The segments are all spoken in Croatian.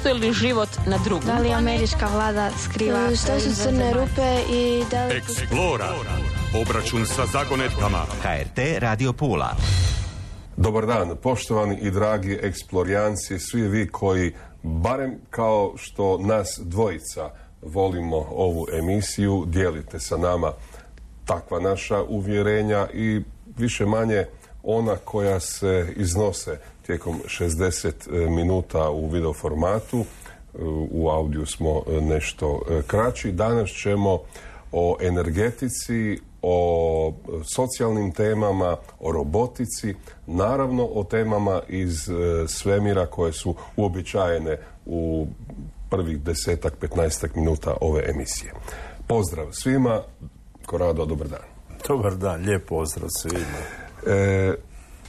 postoji li život na drugom? Da li američka vlada skriva? Što su crne rupe i da li... Explora. Obračun sa zagonetkama. HRT Radio Pula. Dobar dan, poštovani i dragi eksplorijanci, svi vi koji, barem kao što nas dvojica volimo ovu emisiju, dijelite sa nama takva naša uvjerenja i više manje ona koja se iznose tijekom 60 minuta u video formatu. U audiju smo nešto kraći. Danas ćemo o energetici, o socijalnim temama, o robotici, naravno o temama iz svemira koje su uobičajene u prvih 10-15 minuta ove emisije. Pozdrav svima, Korado, dobar dan. Dobar dan, lijep pozdrav svima.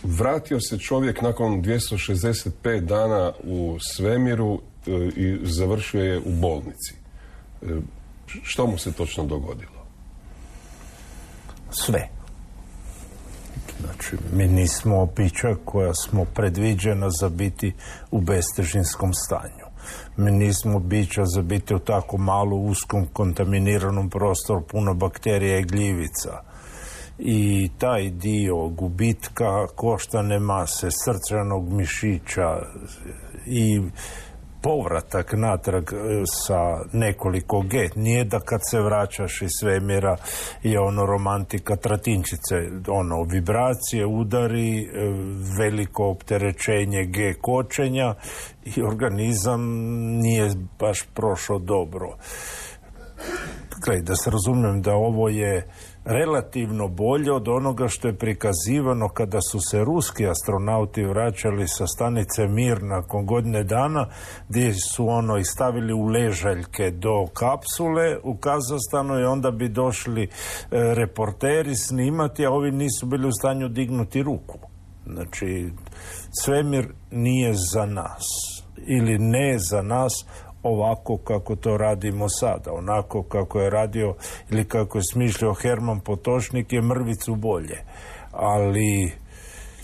Vratio se čovjek nakon 265 dana u svemiru i završio je u bolnici. Što mu se točno dogodilo? Sve. Znači, mi nismo bića koja smo predviđena za biti u bestežinskom stanju. Mi nismo bića za biti u tako malo uskom kontaminiranom prostoru puno bakterija i gljivica. I taj dio gubitka koštane mase, srčanog mišića i povratak natrag sa nekoliko G. Nije da kad se vraćaš iz svemira je ono romantika tratinčice, ono vibracije, udari, veliko opterećenje G kočenja i organizam nije baš prošao dobro. Gledaj, da se razumijem da ovo je relativno bolje od onoga što je prikazivano kada su se ruski astronauti vraćali sa stanice Mir nakon godine dana, gdje su ono i stavili u ležaljke do kapsule u Kazahstanu i onda bi došli reporteri snimati, a ovi nisu bili u stanju dignuti ruku. Znači, svemir nije za nas ili ne za nas ovako kako to radimo sada. Onako kako je radio ili kako je smišljao Herman Potočnik je mrvicu bolje. Ali...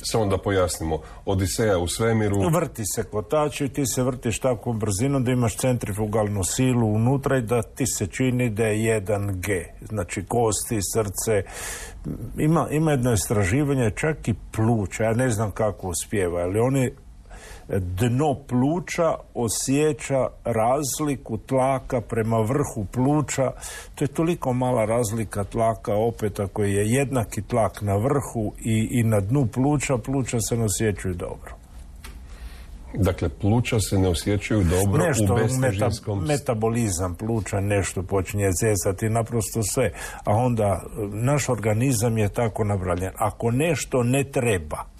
Samo da pojasnimo, Odiseja u svemiru... Vrti se kotač i ti se vrtiš takvom brzinom da imaš centrifugalnu silu unutra i da ti se čini da je 1G. Znači kosti, srce... Ima jedno istraživanje, čak i pluća, ja ne znam kako uspijeva, ali oni dno pluća osjeća razliku tlaka prema vrhu pluća. To je toliko mala razlika tlaka, opet ako je jednaki tlak na vrhu i na dnu pluća se ne osjećaju dobro. Dakle, pluća se ne osjećaju dobro nešto, u bestežinskom... metabolizam pluća nešto počinje zezati, naprosto sve. A onda naš organizam je tako napravljen. Ako nešto ne treba,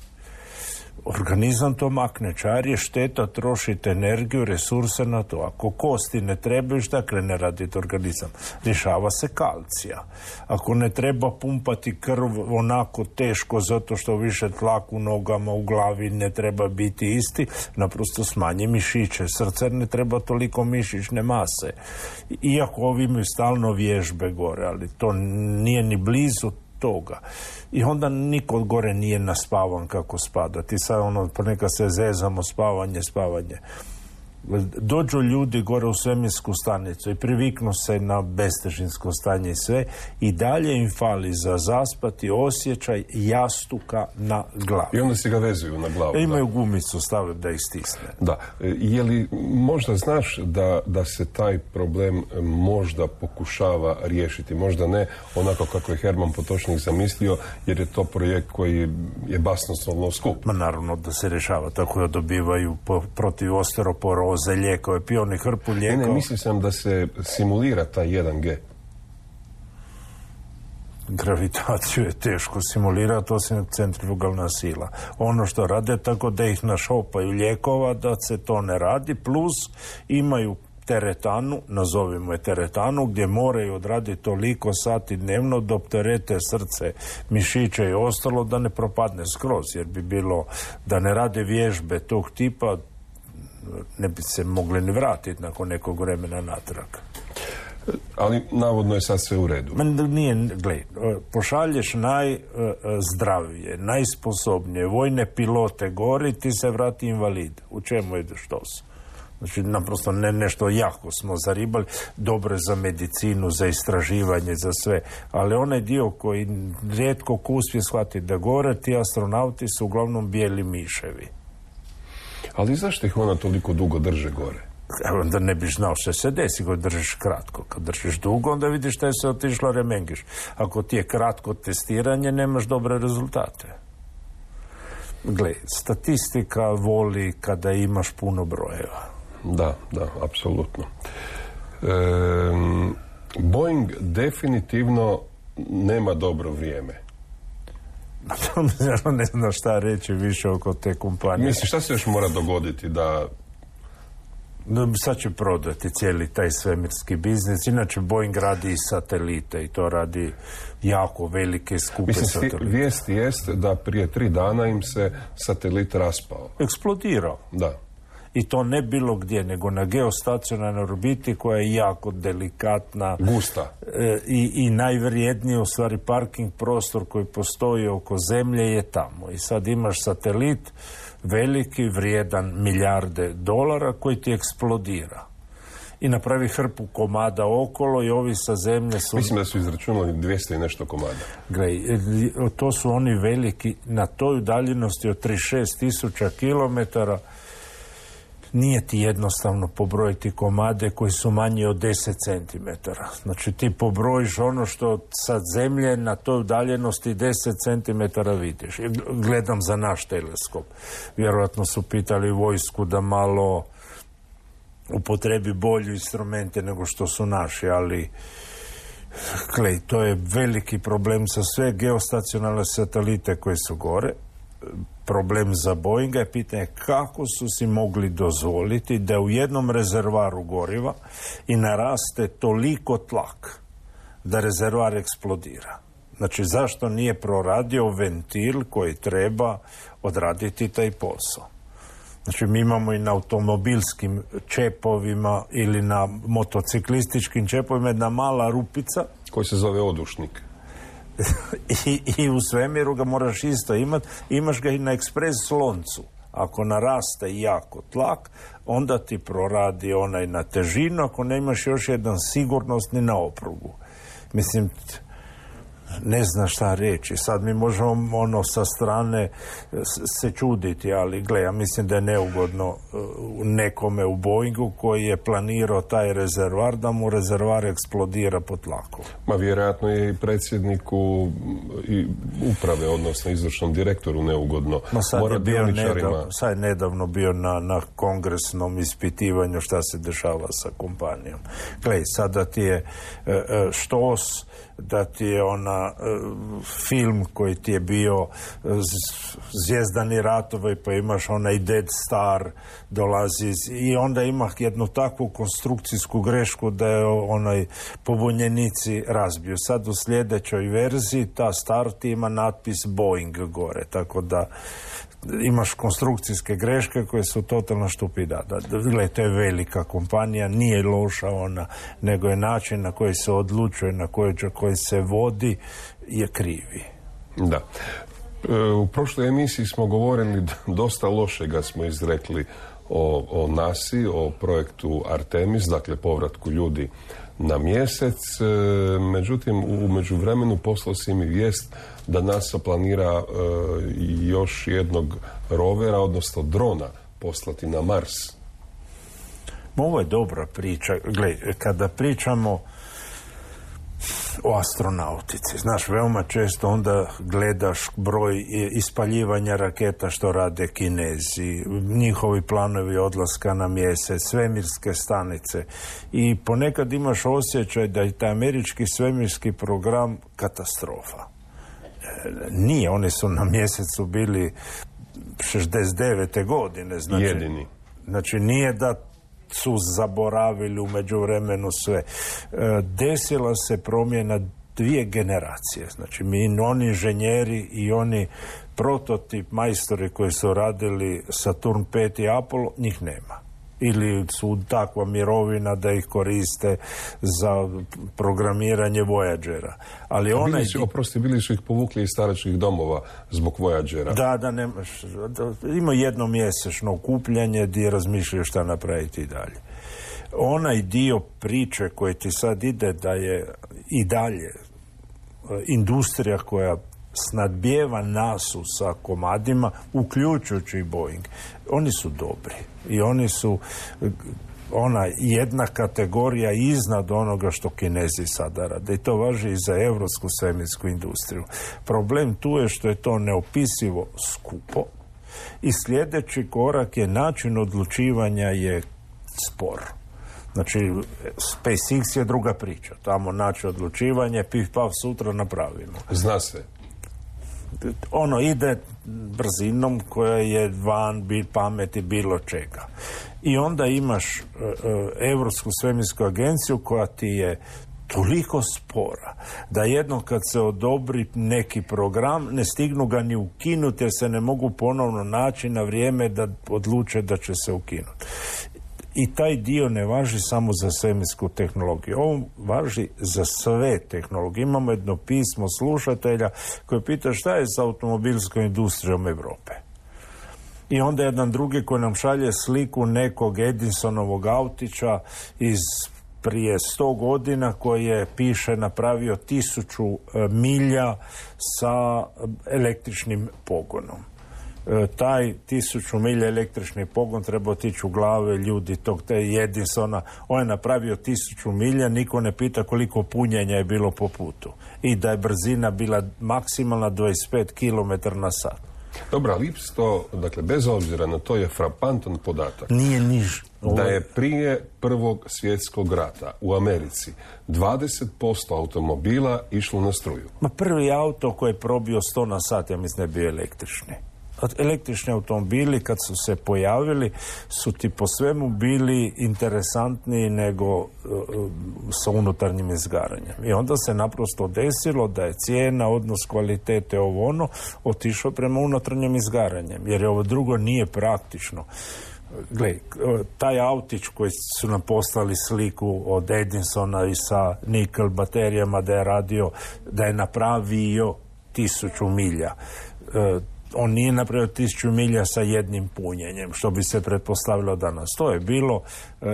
organizam to makne, čar je šteta, trošite energiju, resurse na to. Ako kosti ne trebaju, šta krene raditi organizam? Rješava se kalcija. Ako ne treba pumpati krv onako teško zato što više tlak u nogama, u glavi ne treba biti isti, naprosto smanji mišiće. Srce ne treba toliko mišićne mase. Iako ovi imaju stalno vježbe gore, ali to nije ni blizu toga. I onda niko od gore nije naspavan kako spada. Ti sad ono, ponekad se zezamo, spavanje. Dođu ljudi gore u svemirsku stanicu i priviknu se na bestežinsko stanje i sve, i dalje im fali za zaspati osjećaj jastuka na glavi. I onda si ga vezuju na glavu. Imaju gumicu, stave da ih stisne. Da. Je li možda znaš da se taj problem možda pokušava riješiti? Možda ne onako kako je Herman Potočnik zamislio, jer je to projekt koji je basnoslovno skup. Ma naravno da se rješava, tako da dobivaju protiv osteoporoze lijekove, pijoni hrpu lijekova. Ne, mislim sam da se simulira taj 1G. Gravitaciju je teško simulirati, osim centrifugalna sila. Ono što rade tako da ih našopaju lijekova, da se to ne radi, plus imaju teretanu, nazovimo je teretanu, gdje moraju odraditi toliko sati dnevno da opterete srce, mišiće i ostalo da ne propadne skroz, jer bi bilo da ne rade vježbe tog tipa, ne bi se mogli ni vratiti nakon nekog vremena natrag. Ali navodno je sad sve u redu. Nije, gledaj, pošalješ najzdravije, najsposobnije vojne pilote gori, ti se vrati invalid. U čemu ideš to? Znači, naprosto nešto jako smo zaribali, dobro za medicinu, za istraživanje, za sve. Ali onaj dio koji rijetko ko uspije shvatiti da gore, ti astronauti su uglavnom bijeli miševi. Ali zašto ih ona toliko dugo drže gore? Onda ne biš znao što se desi kad držiš kratko. Kad držiš dugo, onda vidiš šta je se otišlo remengiš. Ako ti je kratko testiranje, nemaš dobre rezultate. Gle, statistika voli kada imaš puno brojeva. Da, apsolutno. Boeing definitivno nema dobro vrijeme. Ne znam šta reći više oko te kompanije. Mislim, šta se još mora dogoditi da... Sad će prodati cijeli taj svemirski biznis. Inače, Boeing radi i satelite i to radi jako velike, skupe satelite. Vijest jest da prije 3 dana im se satelit raspao. Eksplodirao. Da. I to ne bilo gdje, nego na geostacionarnoj orbiti koja je jako delikatna. Gusta. I najvrijedniji, u stvari, parking prostor koji postoji oko Zemlje je tamo. I sad imaš satelit veliki, vrijedan milijarde dolara koji ti eksplodira. I napravi hrpu komada okolo i ovi sa Zemlje su... Mislim da su izračunali 200 i nešto komada. Gledaj, to su oni veliki, na toj udaljenosti od 36.000 kilometara. Nije ti jednostavno pobrojiti komade koji su manji od 10 cm. Znači ti pobrojiš ono što sa Zemlje na toj udaljenosti 10 cm vidiš. Gledam za naš teleskop. Vjerojatno su pitali vojsku da malo upotrebi bolju instrumente nego što su naši, ali glej, to je veliki problem za sve geostacionalne satelite koji su gore. Problem za Boeinga je pitanje kako su si mogli dozvoliti da u jednom rezervaru goriva i naraste toliko tlak da rezervar eksplodira. Znači, zašto nije proradio ventil koji treba odraditi taj posao? Znači, mi imamo i na automobilskim čepovima ili na motociklističkim čepovima jedna mala rupica koji se zove odušnik. I u svemiru ga moraš isto imati. Imaš ga i na ekspres sloncu. Ako naraste jako tlak, onda ti proradi onaj na težinu, ako ne imaš još jedan sigurnosni na oprugu. Mislim, ne zna šta reći. Sad mi možemo sa strane se čuditi, ali gle, ja mislim da je neugodno nekome u Boeingu koji je planirao taj rezervar, da mu rezervar eksplodira po tlaku. Ma vjerojatno je i predsjedniku i uprave, odnosno izvršnom direktoru neugodno. Sad je nedavno bio na kongresnom ispitivanju šta se dešava sa kompanijom. Gle, sada ti je štos, da ti je film koji ti je bio Zvijezdani ratovi, pa imaš onaj Dead Star dolazi i onda ima jednu takvu konstrukcijsku grešku da je pobunjenici razbiju. Sad u sljedećoj verziji ta Start ima natpis Boeing gore, tako da imaš konstrukcijske greške koje su totalno štupida. Gle, to je velika kompanija, nije loša ona, nego je način na koji se odlučuje, na koji se vodi, je krivi. Da. U prošloj emisiji smo govorili, dosta lošega smo izrekli o NASA-i, o projektu Artemis, dakle povratku ljudi na mjesec. Međutim, u međuvremenu poslao si mi vijest da NASA planira još jednog rovera, odnosno drona, poslati na Mars. Ovo je dobra priča. Gle, kada pričamo o astronautici, znaš, veoma često onda gledaš broj ispaljivanja raketa što rade Kinezi, njihovi planovi odlaska na mjesec, svemirske stanice, i ponekad imaš osjećaj da je taj američki svemirski program katastrofa. Nije, oni su na mjesecu bili 69. godine. Znači, jedini. Znači, nije da su zaboravili u međuvremenu sve. Desila se promjena 2 generacije. Znači, oni inženjeri i oni prototip majstori koji su radili Saturn 5 i Apollo, njih nema. ili su takva mirovina da ih koriste za programiranje Voyagera. Ali bili su ih povukli iz staračkih domova zbog Voyagera. Da, nemaš. Ima jednomjesečno okupljanje gdje razmišljaju šta napraviti i dalje. Onaj dio priče koji ti sad ide da je i dalje industrija koja snadbijeva NASU sa komadima, uključujući i Boeing, oni su dobri i oni su ona jedna kategorija iznad onoga što Kinezi sada rade. I to važi i za evropsku svemirsku industriju. Problem tu je što je to neopisivo skupo i sljedeći korak je način odlučivanja je spor. Znači, SpaceX je druga priča. Tamo način odlučivanje, pif paf, sutra napravimo. Zna se. Ono ide brzinom koja je van pameti bilo čega. I onda imaš Europsku svemirsku agenciju koja ti je toliko spora da jednom kad se odobri neki program ne stignu ga ni ukinuti jer se ne mogu ponovno naći na vrijeme da odluče da će se ukinuti. I taj dio ne važi samo za svemirsku tehnologiju. Ovo važi za sve tehnologije. Imamo jedno pismo slušatelja koje pita šta je sa automobilskom industrijom Europe. I onda jedan drugi koji nam šalje sliku nekog Edisonovog autića iz prije 100 godina koji je, piše, napravio 1000 milja sa električnim pogonom. Taj 1000 milja električni pogon treba otići u glave ljudi tog Edisona. On je napravio 1000 milja, niko ne pita koliko punjenja je bilo po putu. I da je brzina bila maksimalna 25 km na sat. Dobro, ali isto, dakle, bez obzira na to je frapantan podatak. Nije niž. Da je prije Prvog svjetskog rata u Americi 20% automobila išlo na struju. Ma prvi auto koji je probio 100 na sat, ja mislim da je bio električni. Električni automobili kad su se pojavili su ti po svemu bili interesantniji nego sa unutarnjim izgaranjem. I onda se naprosto desilo da je cijena, odnos kvalitete ovo ono otišao prema unutarnjim izgaranjem jer ovo drugo nije praktično. Gle, taj autić koji su nam poslali sliku od Edisona i sa nikel baterijama da je radio, da je napravio 1000 milja. On nije napravio 1000 milja sa jednim punjenjem, što bi se pretpostavilo danas. To je bilo,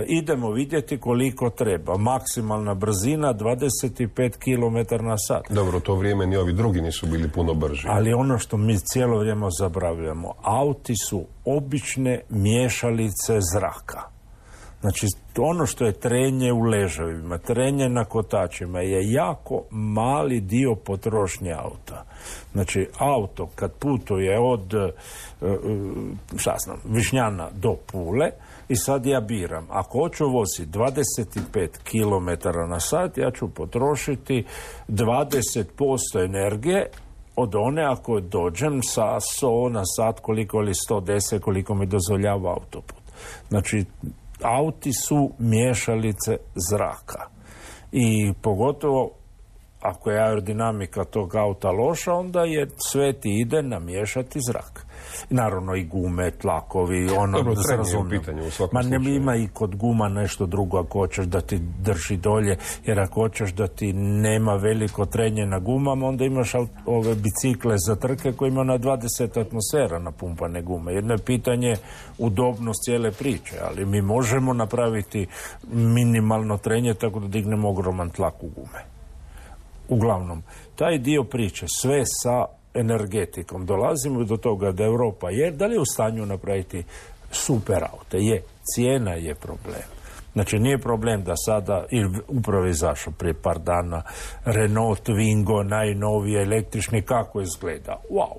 idemo vidjeti koliko treba. Maksimalna brzina 25 km na sat. Dobro, u to vrijeme ni ovi drugi nisu bili puno brži. Ali ono što mi cijelo vrijeme zaboravljamo, auti su obične miješalice zraka. Znači, ono što je trenje u ležavima, trenje na kotačima je jako mali dio potrošnje auta. Znači, auto kad putuje od Višnjana do Pule i sad ja biram, ako hoću voziti 25 km na sat, ja ću potrošiti 20% energije od one ako dođem sa 100 na sat koliko ili 110 koliko mi dozvoljava autoput. Znači, auti su miješalice zraka. I pogotovo ako je aerodinamika tog auta loša, onda je sve ti ide namiješati zrak. Naravno i gume, tlakovi, ono... Dobro, trenje u pitanju u svakom slučaju. Ima i kod guma nešto drugo ako hoćeš da ti drži dolje, jer ako hoćeš da ti nema veliko trenje na gumama, onda imaš ove bicikle za trke koji imaju na 20 atmosfera napumpane gume. Jedno je pitanje udobnost cijele priče, ali mi možemo napraviti minimalno trenje tako da dignemo ogroman tlak u gume. Uglavnom, taj dio priče, sve sa energetikom. Dolazimo do toga da Europa je, da li je u stanju napraviti super aute? Je, cijena je problem. Znači, nije problem da sada, ili upravo je izašao prije par dana, Renault Twingo, najnoviji električni, kako izgleda? Wow!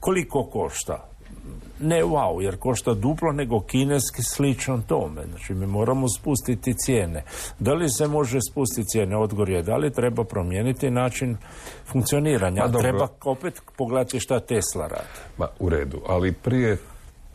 Koliko košta? Ne wow, jer košta duplo nego kineski slično tome. Znači, mi moramo spustiti cijene. Da li se može spustiti cijene? Odgovor je da li treba promijeniti način funkcioniranja. Treba opet pogledati šta Tesla radi. Ma, u redu, ali prije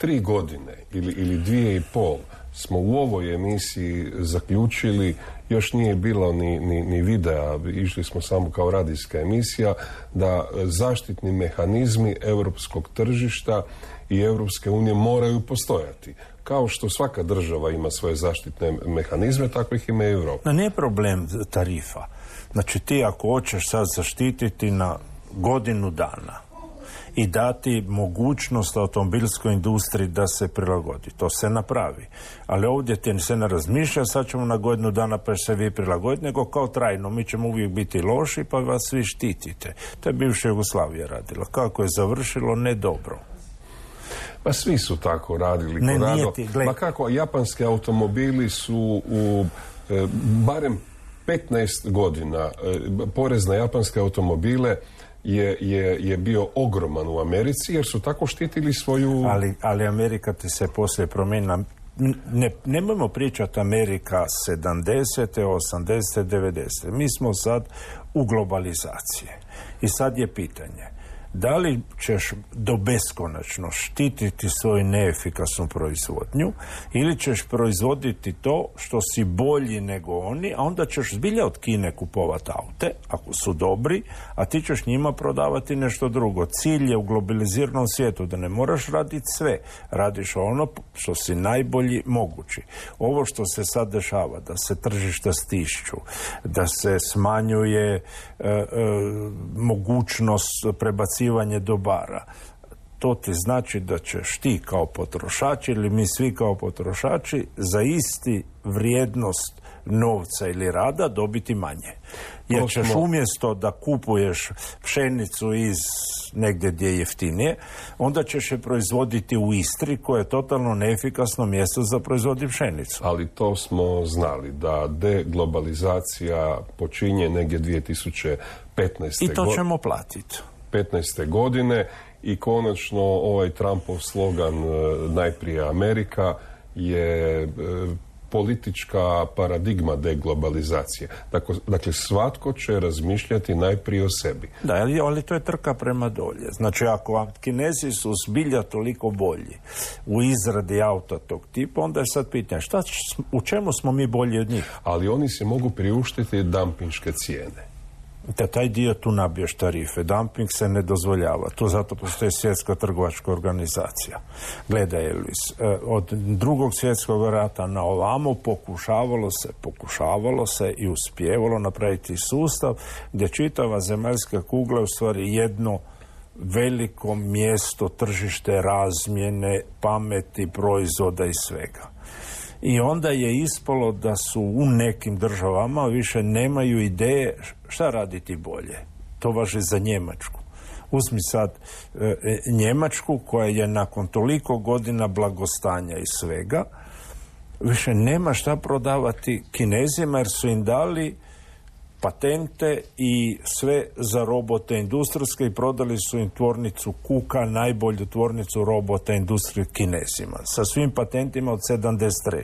3 godine ili 2,5 smo u ovoj emisiji zaključili, još nije bilo ni videa, išli smo samo kao radijska emisija, da zaštitni mehanizmi europskog tržišta i Europske unije moraju postojati. Kao što svaka država ima svoje zaštitne mehanizme, tako ih ima i Europa. Nije problem tarifa. Znači ti ako hoćeš sad zaštititi na godinu dana i dati mogućnost automobilskoj industriji da se prilagodi, to se napravi. Ali ovdje ti se ne razmišlja, sad ćemo na godinu dana pa se vi prilagoditi, nego kao trajno, mi ćemo uvijek biti loši pa vas svi štitite. To je bivša Jugoslavija radila. Kako je završilo? Ne dobro. Pa svi su tako radili. Ma kako, japanski automobili su u barem 15 godina, porez na japanske automobile je bio ogroman u Americi, jer su tako štitili svoju... Ali Amerika ti se poslije promijenila. Nemojmo pričati Amerika 70. 80. 90. Mi smo sad u globalizaciji. I sad je pitanje, da li ćeš do beskonačno štititi svoju neefikasnu proizvodnju ili ćeš proizvoditi to što si bolji nego oni, a onda ćeš zbilja od Kine kupovati aute, ako su dobri, a ti ćeš njima prodavati nešto drugo. Cilj je u globaliziranom svijetu da ne moraš raditi sve, radiš ono što si najbolji mogući. Ovo što se sad dešava, da se tržišta stišću, da se smanjuje mogućnost prebacivanja dobara, to ti znači da ćeš ti kao potrošač ili mi svi kao potrošači za isti vrijednost novca ili rada dobiti manje. Jer ćeš umjesto da kupuješ pšenicu iz negdje gdje je jeftinije, onda ćeš je proizvoditi u Istri, koje je totalno neefikasno mjesto za proizvoditi pšenicu. Ali to smo znali, da deglobalizacija počinje negdje 2015. I to ćemo platiti. 15. godine i konačno ovaj Trumpov slogan najprije Amerika je politička paradigma deglobalizacije. Dakle, svatko će razmišljati najprije o sebi. Da, ali to je trka prema dolje. Znači, ako Kinezi su zbilja toliko bolji u izradi auta tog tipa, onda je sad pitanje, u čemu smo mi bolji od njih? Ali oni se mogu priuštiti dampinške cijene. Da taj dio tu nabiješ tarife. Dumping se ne dozvoljava. Tu zato postoji svjetska trgovačka organizacija. Gledaj, Elvis, od Drugog svjetskog rata na ovamo pokušavalo se i uspjevalo napraviti sustav gdje čitava zemaljska kugla je u stvari jedno veliko mjesto, tržište razmjene, pameti, proizvoda i svega. I onda je ispalo da su u nekim državama više nemaju ideje šta raditi bolje. To važi za Njemačku. Uzmi sad Njemačku koja je nakon toliko godina blagostanja i svega više nema šta prodavati Kinezima jer su im dali patente i sve za robote industrijske i prodali su im tvornicu Kuka, najbolju tvornicu robota industrije Kinezima, sa svim patentima od 73.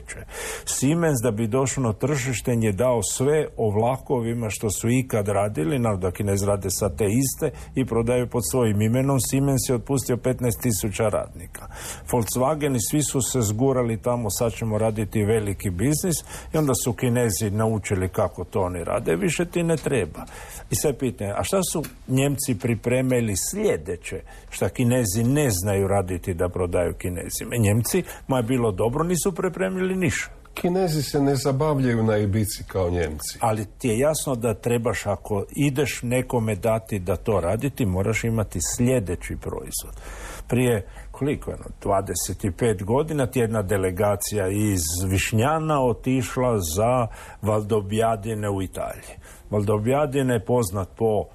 Siemens, da bi došao na tržište, je dao sve o vlakovima što su ikad radili, da Kinezi rade sa te iste i prodaju pod svojim imenom. Siemens je otpustio 15.000 radnika. Volkswagen i svi su se zgurali tamo, sad ćemo raditi veliki biznis, i onda su Kinezi naučili kako to oni rade, više ti ne treba. I sve pitanje, a šta su Njemci pripremili sljedeće, šta Kinezi ne znaju raditi da prodaju Kinezima? Njemci, ma je bilo dobro, nisu pripremili ništa. Kinezi se ne zabavljaju na Ibici kao Njemci. Ali ti je jasno da trebaš, ako ideš nekome dati da to raditi, moraš imati sljedeći proizvod. Prije, koliko je, 25 godina ti jedna delegacija iz Višnjana otišla za Valdobbiadene u Italiji. Valdobbiadene je poznat po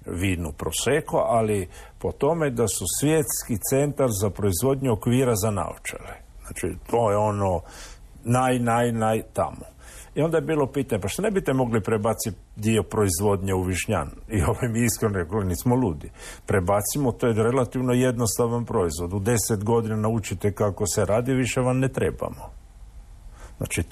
vinu Prosecco, ali po tome da su svjetski centar za proizvodnju okvira za naočale. Znači, to je ono naj tamo. I onda je bilo pitanje, pa što ne biste mogli prebaciti dio proizvodnje u Višnjan? I mi iskreno rekli, nismo ludi. Prebacimo, to je relativno jednostavan proizvod. U 10 godina naučite kako se radi, više vam ne trebamo. Znači,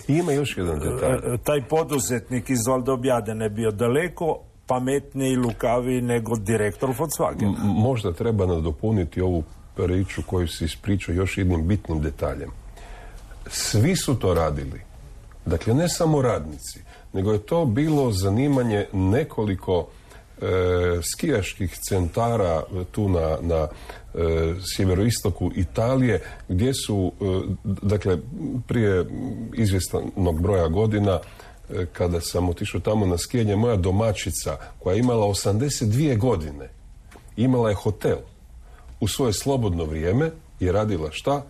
ima još jedan detalj. Taj poduzetnik iz Valdobbiadene je bio daleko pametniji i lukaviji nego direktor Volkswagena. Možda treba nadopuniti ovu priču koju si ispričao još jednim bitnim detaljem. Svi su to radili. Dakle, ne samo radnici, nego je to bilo zanimanje nekoliko skijaških centara tu na sjeveroistoku Italije, gdje su, dakle, prije izvjesnog broja godina, kada sam otišao tamo na skijanje, moja domaćica, koja je imala 82 godine, imala je hotel. U svoje slobodno vrijeme je radila šta?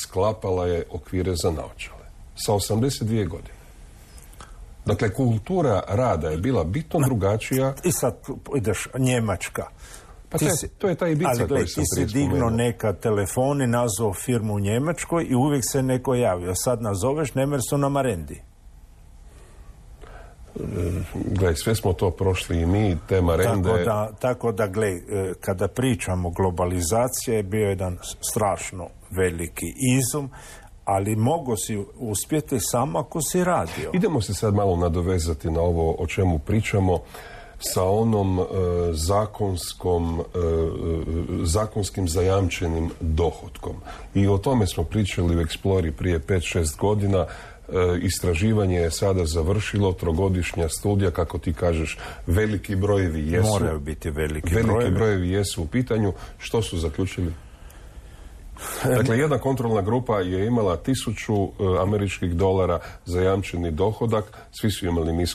Sklapala je okvire za naočale. Sa 82 godine. Dakle, kultura rada je bila bitno drugačija. I sad ideš Njemačka. Pa to je ta Ibiza koju sam prije spomenuo. Ti si dignuo neka telefon i nazvao firmu u Njemačkoj i uvijek se neko javio. Sad nazoveš Nemersu Marendi. Gle, sve smo to prošli i mi, te Marende. Tako da, gle, kada pričamo globalizacija je bio jedan strašno veliki izum, ali mogo si uspjeti samo ako si radio. Idemo se sad malo nadovezati na ovo o čemu pričamo sa onom zakonskim zajamčenim dohotkom. I o tome smo pričali u Explori prije 5-6 godina. Istraživanje je sada završilo, 3-godišnja studija, kako ti kažeš, veliki brojevi jesu. Moraju biti veliki brojevi jesu u pitanju. Što su zaključili? Dakle, jedna kontrolna grupa je imala $1000 američkih zajamčeni dohodak, svi su imali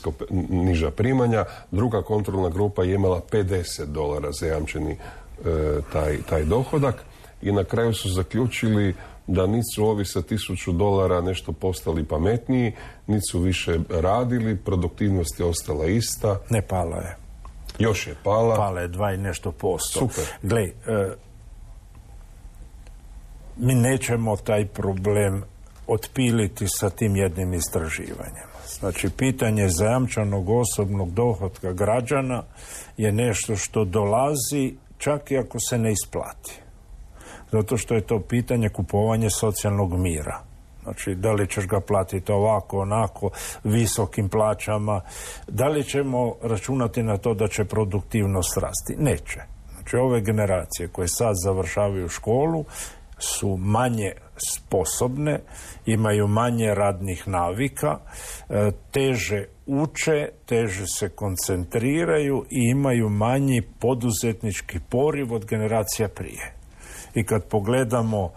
niža primanja, druga kontrolna grupa je imala $50 zajamčeni taj dohodak i na kraju su zaključili da niti su ovi sa $1000 nešto postali pametniji, niti su više radili, produktivnost je ostala ista. Ne, pala je. Još je pala. Pala je 2 i nešto posto. Super. Gle, mi nećemo taj problem otpiliti sa tim jednim istraživanjem. Znači, pitanje zajamčenog osobnog dohotka građana je nešto što dolazi čak i ako se ne isplati. Zato što je to pitanje kupovanja socijalnog mira. Znači, da li ćeš ga platiti ovako, onako, visokim plaćama, da li ćemo računati na to da će produktivnost rasti? Neće. Znači, ove generacije koje sad završavaju školu su manje sposobne, imaju manje radnih navika, teže uče, teže se koncentriraju i imaju manji poduzetnički poriv od generacija prije. I kad pogledamo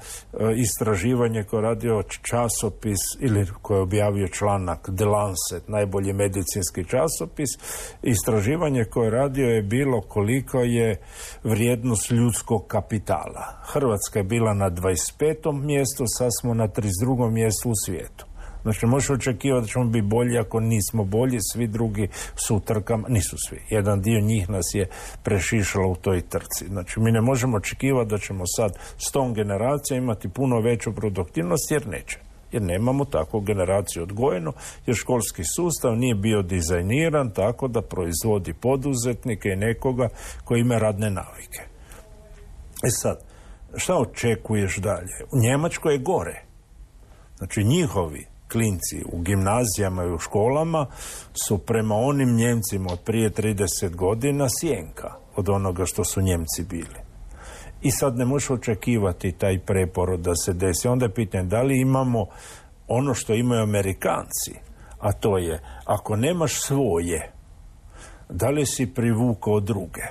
istraživanje koje je radio časopis ili koje je objavio članak The Lancet, najbolji medicinski časopis, istraživanje koje je radio je bilo koliko je vrijednost ljudskog kapitala. Hrvatska je bila na 25. mjestu, sad smo na 32. mjestu u svijetu. Znači, možeš očekivati da ćemo biti bolji ako nismo bolji, svi drugi su u trkama, nisu svi. Jedan dio njih nas je prešišalo u toj trci. Znači, mi ne možemo očekivati da ćemo sad s tom generacijom imati puno veću produktivnost, jer neće. Jer nemamo takvu generaciju odgojenu, jer školski sustav nije bio dizajniran tako da proizvodi poduzetnike i nekoga koji ima radne navike. Sad, šta očekuješ dalje? U Njemačkoj je gore. Znači, njihovi klinci u gimnazijama i u školama su prema onim Njemcima od prije 30 godina sjenka od onoga što su Njemci bili. I sad ne možeš očekivati taj preporod da se desi. Onda je pitanje da li imamo ono što imaju Amerikanci, a to je ako nemaš svoje, da li si privukao druge?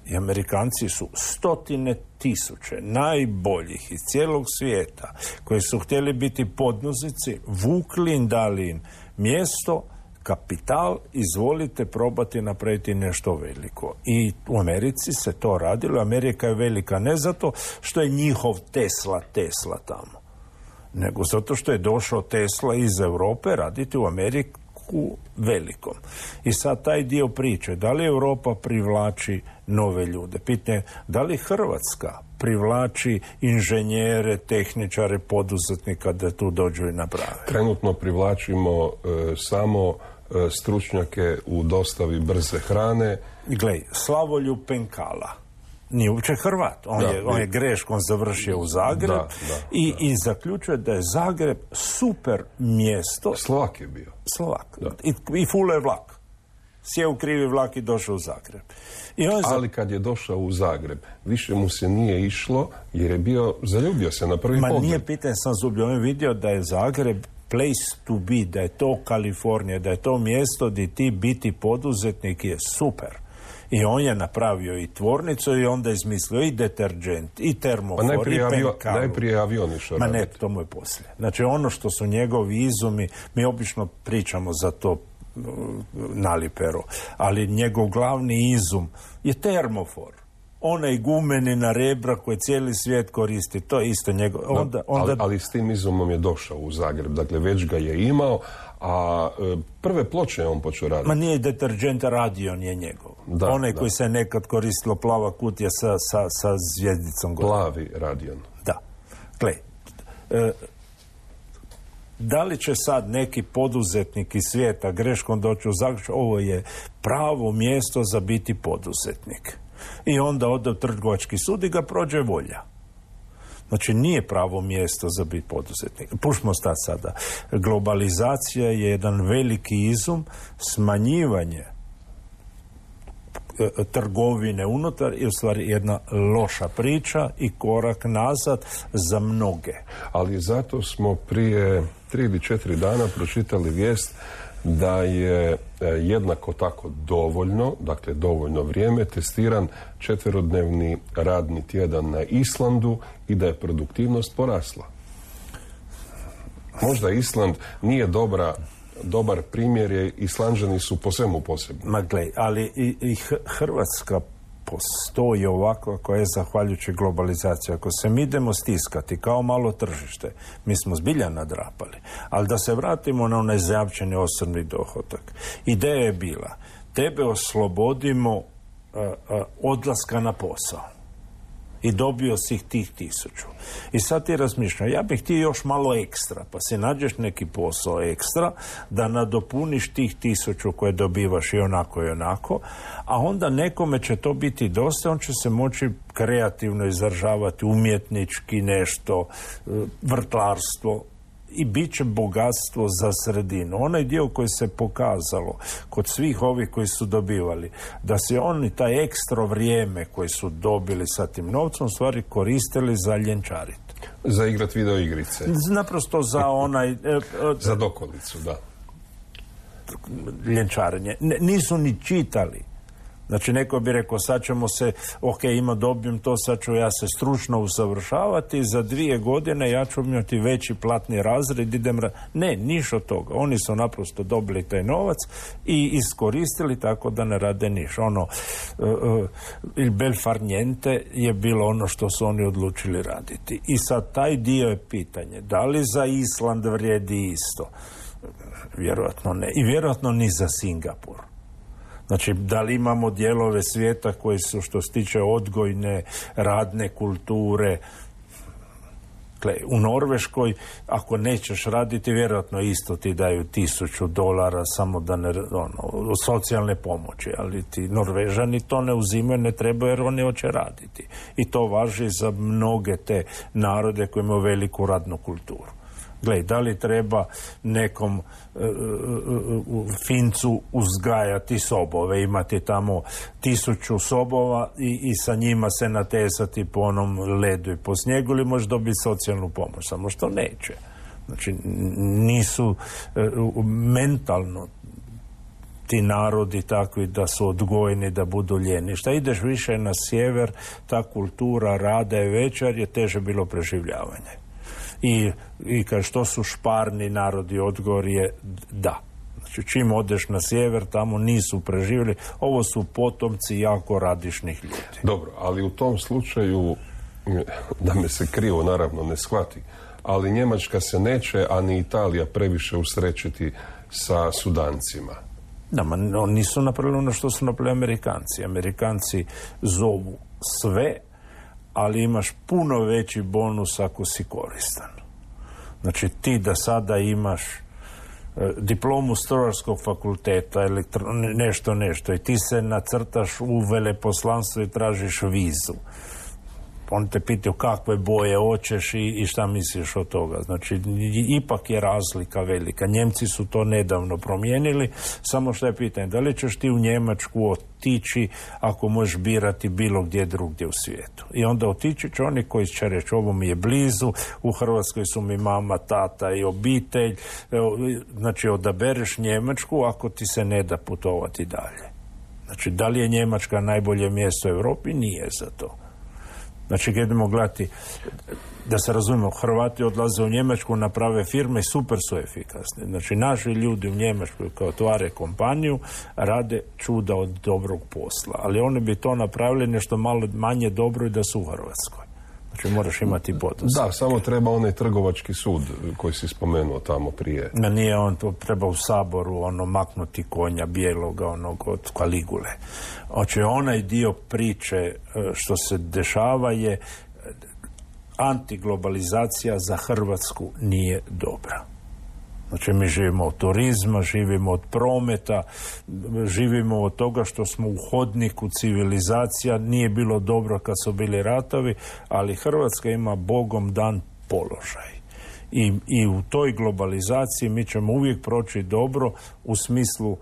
I Amerikanci su 100.000 najboljih iz cijelog svijeta koji su htjeli biti podnozici, vukli im, dali im mjesto, kapital, izvolite probati napraviti nešto veliko. I u Americi se to radilo. Amerika je velika ne zato što je njihov Tesla tamo, nego zato što je došao Tesla iz Europe raditi u Ameriku velikom. I sad taj dio priče, da li Europa privlači nove ljude? Pitanje, da li Hrvatska privlači inženjere, tehničare, poduzetnika da tu dođu i naprave? Trenutno privlačimo samo stručnjake u dostavi brze hrane. Glej, Slavoljub Penkala nije uopće Hrvat. On je greškom završio u Zagreb i zaključuje da je Zagreb super mjesto. Slovak je bio. Slovak. I fule je vlak. sjeo u krivi vlak i došao u Zagreb. Ali kad je došao u Zagreb, više mu se nije išlo jer je zaljubio se na prvi pogled. Nije pitanje sam zubio, on je vidio da je Zagreb place to be, da je to Kalifornija, da je to mjesto gdje ti biti poduzetnik je super. I on je napravio i tvornicu i onda izmislio i deterđent, i termofor, i penkalu. Najprije avion išao raditi. Ne, to mu je poslije. Znači ono što su njegovi izumi, mi obično pričamo za to Nalipero, ali njegov glavni izum je termofor. Onaj gumenina rebra koje cijeli svijet koristi, to je isto njegov. Ali s tim izumom je došao u Zagreb, dakle već ga je imao, a prve ploče je on počeo raditi. Ma nije deterđent, Radion je njegov. Onaj koji se nekad koristilo, plava kutija sa zvijezdicom gore. Plavi Radion. Da. Gle, da li će sad neki poduzetnik iz svijeta greškom doći u Zagreb? Ovo je pravo mjesto za biti poduzetnik. I onda ode u trgovački sud i ga prođe volja. Znači nije pravo mjesto za biti poduzetnik. Pušmo sada. Globalizacija je jedan veliki izum, smanjivanje trgovine unutar je u stvari jedna loša priča i korak nazad za mnoge. Ali zato smo prije 3 ili 4 dana pročitali vijest da je jednako tako dovoljno, dakle dovoljno vrijeme, testiran 4-dnevni radni tjedan na Islandu i da je produktivnost porasla. Možda Island nije dobar primjer, jer Islanđani su po svemu posebni. Ma glej, ali i Hrvatska postoji ovako koja je zahvaljujući globalizaciji. Ako se mi idemo stiskati kao malo tržište, mi smo zbilja nadrapali. Ali da se vratimo na onaj zajamčeni osobni dohodak. Ideja je bila, tebe oslobodimo odlaska na posao. I dobio si tih 1000. I sad ti razmišljam, ja bih ti još malo ekstra, pa si nađeš neki posao ekstra, da nadopuniš tih 1000 koje dobivaš i onako, a onda nekome će to biti dosta, on će se moći kreativno izražavati, umjetnički nešto, vrtlarstvo, i bit će bogatstvo za sredinu. Onaj dio koji se pokazalo kod svih ovih koji su dobivali, da se oni taj ekstra vrijeme koji su dobili sa tim novcom stvari koristili za ljenčariti. Za igrat video igrice. Naprosto za onaj... za dokolicu, da. Ljenčarenje. Nisu ni čitali. Znači, neko bi rekao, sad ćemo se, dobijem to, sad ću ja se stručno usavršavati, za 2 godine ja ću imati veći platni razred, Ne, niš od toga. Oni su naprosto dobili taj novac i iskoristili tako da ne rade niš. Il bel far niente je bilo ono što su oni odlučili raditi. I sad taj dio je pitanje, da li za Island vrijedi isto? Vjerojatno ne. I vjerojatno ni za Singapur. Znači, da li imamo dijelove svijeta koji su, što se tiče odgojne, radne kulture, u Norveškoj, ako nećeš raditi, vjerojatno isto ti daju $1000 samo da ne, socijalne pomoći, ali ti Norvežani to ne uzimaju, ne trebaju jer oni hoće raditi. I to važi za mnoge te narode koji imaju veliku radnu kulturu. Gle, da li treba nekom Fincu uzgajati sobove, imati tamo 1000 sobova i sa njima se natezati po onom ledu i po snijegu, ili može dobiti socijalnu pomoć, samo što neće. Znači, nisu mentalno ti narodi takvi da su odgojeni da budu ljeni. Šta ideš više na sjever, ta kultura rada je veća jer je teže bilo preživljavanje. I kad što su šparni narodi, odgovor je da. Znači, čim odeš na sjever, tamo nisu preživjeli. Ovo su potomci jako radišnih ljudi. Dobro, ali u tom slučaju, da me se krivo naravno ne shvati, ali Njemačka se neće, a ni Italija previše usrećiti sa Sudancima. Da, oni nisu napravili ono što su napravili Amerikanci. Amerikanci zovu sve, ali imaš puno veći bonus ako si koristan. Znači, ti da sada imaš diplomu strojarskog fakulteta, nešto, i ti se nacrtaš u veleposlanstvo i tražiš vizu. oni te pitaju kakve boje hoćeš i šta misliš od toga. Znači, ipak je razlika velika. Njemci su to nedavno promijenili, samo što je pitanje, da li ćeš ti u Njemačku otići ako možeš birati bilo gdje drugdje u svijetu. I onda otići će oni koji će reći, ovo mi je blizu, u Hrvatskoj su mi mama, tata i obitelj. Znači, odabereš Njemačku ako ti se ne da putovati dalje. Znači, da li je Njemačka najbolje mjesto u Europi? Nije za to. Znači, kad idemo gledati, da se razumemo, Hrvati odlaze u Njemačku, naprave firme i super su efikasni. Znači, naši ljudi u Njemačkoj koji otvare kompaniju rade čuda od dobrog posla. Ali oni bi to napravili nešto malo manje dobro i da su u Hrvatskoj. Znači, moraš imati poduzetnike. Da, samo treba onaj trgovački sud koji si spomenuo tamo prije. Nije on, to treba u Saboru maknuti konja bijeloga, onog od Kaligule. Znači, onaj dio priče što se dešava je antiglobalizacija za Hrvatsku nije dobra. Znači, mi živimo od turizma, živimo od prometa, živimo od toga što smo u hodniku civilizacija. Nije bilo dobro kad su bili ratovi, ali Hrvatska ima Bogom dan položaj. I u toj globalizaciji mi ćemo uvijek proći dobro u smislu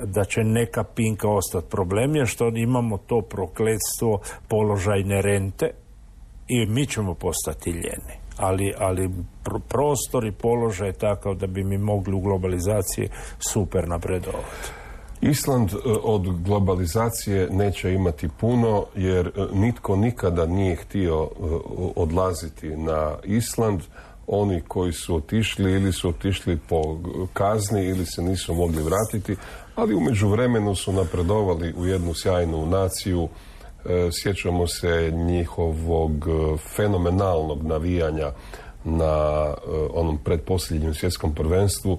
da će neka pinka ostati. Problem je što imamo to prokletstvo položajne rente i mi ćemo postati ljeni. Ali prostor i položaj je takav da bi mi mogli u globalizaciji super napredovati. Island od globalizacije neće imati puno jer nitko nikada nije htio odlaziti na Island. Oni koji su otišli ili su otišli po kazni ili se nisu mogli vratiti, ali u međuvremenu su napredovali u jednu sjajnu naciju. Sjećamo se njihovog fenomenalnog navijanja na onom predposljednjem svjetskom prvenstvu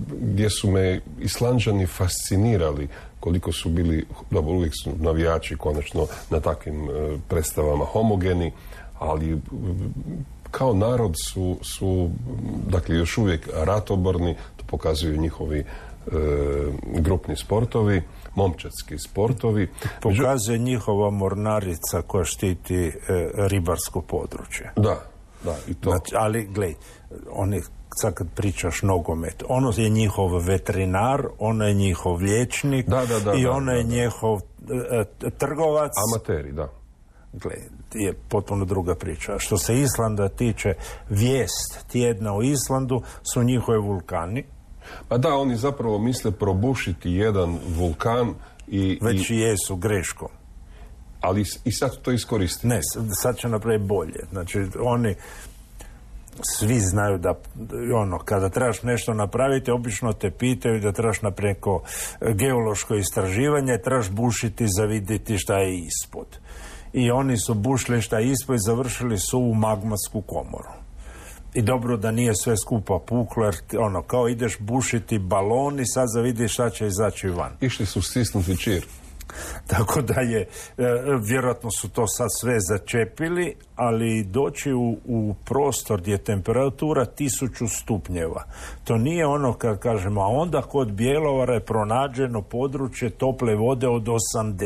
gdje su me Islanđani fascinirali koliko su bili, dobro, uvijek su navijači konačno na takvim predstavama homogeni, ali kao narod su dakle još uvijek ratoborni, to pokazuju njihovi grupni sportovi, momčadski sportovi. Pokazuje njihova mornarica koja štiti ribarsko područje. Da, i to. Znači, ali, gledaj, oni, sad kad pričaš nogomet, ono je njihov veterinar, ono je njihov liječnik i ono je njihov trgovac. Amateri, da. Gledaj, je potpuno druga priča. Što se Islanda tiče, vijest tjedna o Islandu su njihove vulkani. Pa da, oni zapravo misle probušiti jedan vulkan već i jesu greškom. Ali i sad to iskoristiti. Ne, sad će napraviti bolje. Znači, oni svi znaju da kada trebaš nešto napraviti, obično te pitaju da trebaš napraviti geološko istraživanje, trebaš bušiti za vidjeti šta je ispod. I oni su bušili šta je ispod i završili su u magmatsku komoru. I dobro da nije sve skupa puklo, jer kao ideš bušiti balon i sad za vidiš šta će izaći van. Išli su stisnuti čir. Tako da je, vjerojatno su to sad sve začepili, ali doći u prostor gdje je temperatura 1000 stupnjeva. To nije ono kad kažemo, a onda kod Bjelovara je pronađeno područje tople vode od 80.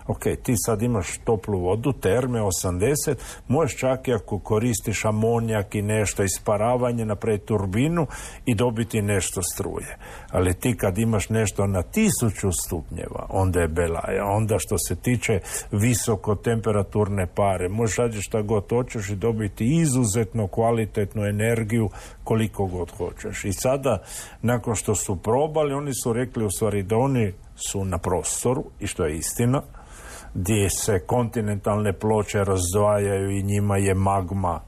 Ok, ti sad imaš toplu vodu, terme 80, možeš čak i ako koristiš amonijak i nešto, isparavanje, napraviti turbinu i dobiti nešto struje. Ali ti kad imaš nešto na 1000 stupnjeva, onda je belaja. Onda što se tiče visoko temperaturne pare, možeš raditi šta god hoćeš i dobiti izuzetno kvalitetnu energiju koliko god hoćeš. I sada, nakon što su probali, oni su rekli u stvari da oni su na prostoru, i što je istina, gdje se kontinentalne ploče razdvajaju i njima je magma